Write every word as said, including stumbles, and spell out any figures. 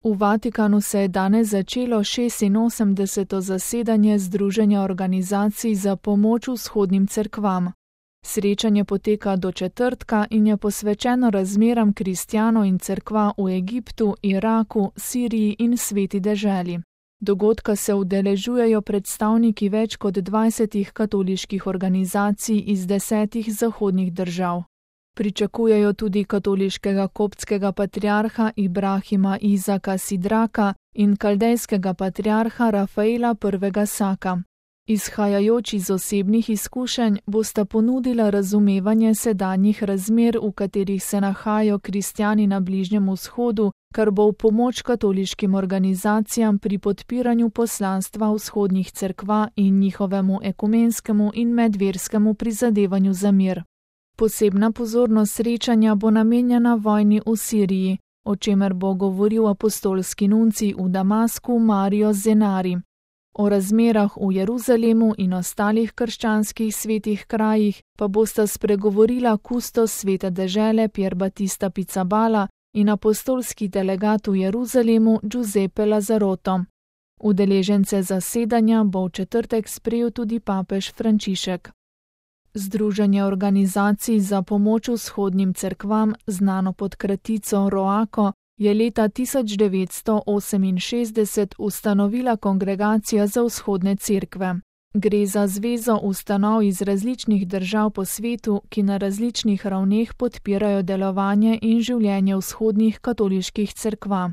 V Vatikanu se je danes začelo šestinosemdeseto zasedanje Združenja organizacij za pomoč vzhodnim cerkvam. Srečanje poteka do četrtka in je posvečeno razmeram kristjanov in cerkva v Egiptu, Iraku, Siriji in Sveti deželi. Dogodka se udeležujejo predstavniki več kot dvajsetih katoliških organizacij iz desetih zahodnih držav. Pričakujejo tudi katoliškega koptskega patriarha Ibrahima Izaka Sidraka in kaldejskega patriarha Rafaela prvega Saka. Izhajajoč iz osebnih izkušenj bosta ponudila razumevanje sedanjih razmer, v katerih se nahajajo kristjani na Bližnjem vzhodu, kar bo v pomoč katoliškim organizacijam pri podpiranju poslanstva vzhodnih cerkva in njihovemu ekumenskemu in medverskemu prizadevanju za mir. Posebna pozornost srečanja bo namenjena vojni v Siriji, o čemer bo govoril apostolski nuncij v Damasku Mario Zenari. O razmerah v Jeruzalemu in ostalih krščanskih svetih krajih pa bosta spregovorila kustos svete dežele Pier Battista Pizzaballa in apostolski delegat v Jeruzalemu Giuseppe Lazzaroto. Udeležence zasedanja bo v četrtek sprejel tudi papež Frančišek. Združenje organizacij za pomoč vzhodnim cerkvam, znano pod kratico ROACO, je leta tisoč devetsto oseminšestdeset ustanovila Kongregacija za vzhodne cerkve. Gre za zvezo ustanov iz različnih držav po svetu, ki na različnih ravneh podpirajo delovanje in življenje vzhodnih katoliških cerkva.